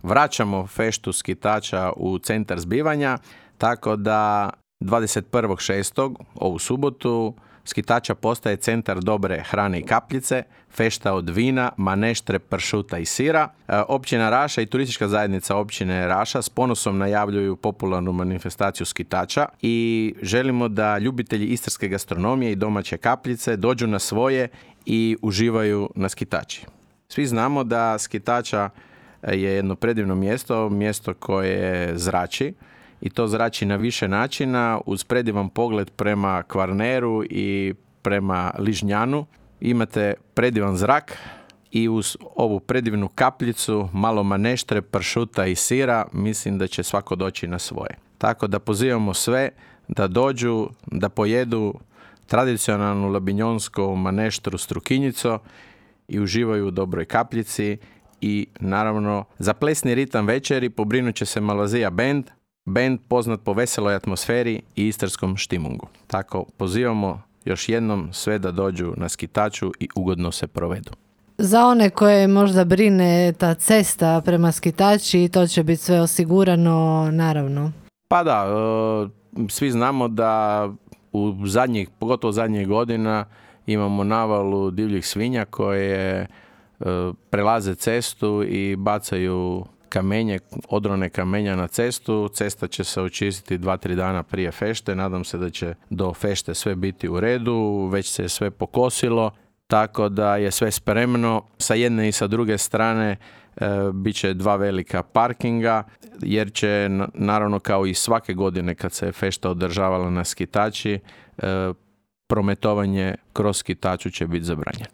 vraćamo feštu skitača u centar zbivanja, tako da 21.6. ovu subotu skitača postaje centar dobre hrane i kapljice, fešta od vina, maneštre, pršuta i sira. Općina Raša i turistička zajednica općine Raša s ponosom najavljuju popularnu manifestaciju skitača i želimo da ljubitelji istarske gastronomije i domaće kapljice dođu na svoje i uživaju na skitači. Svi znamo da skitača je jedno predivno mjesto koje zrači, i to zrači na više načina, uz predivan pogled prema Kvarneru i prema Ližnjanu. Imate predivan zrak i uz ovu predivnu kapljicu, malo maneštre, pršuta i sira, mislim da će svako doći na svoje. Tako da pozivamo sve da dođu, da pojedu tradicionalnu labinjonsku maneštru strukinjico i uživaju u dobroj kapljici. I naravno, za plesni ritam večeri pobrinut će se Malvazija band poznat po veseloj atmosferi i istarskom štimungu. Tako pozivamo još jednom sve da dođu na skitaču i ugodno se provedu. Za one koje možda brine ta cesta prema skitači, to će biti sve osigurano, naravno. Pa da, svi znamo da pogotovo zadnjih godina imamo navalu divljih svinja koje prelaze cestu i bacaju odrone kamenja na cestu. Cesta će se očistiti 2-3 dana prije fešte. Nadam se da će do fešte sve biti u redu. Već se je sve pokosilo, tako da je sve spremno. Sa jedne i sa druge strane bit će 2 velika parkinga, jer će naravno kao i svake godine kad se fešta održavala na skitači, prometovanje kroz skitaču će biti zabranjeno.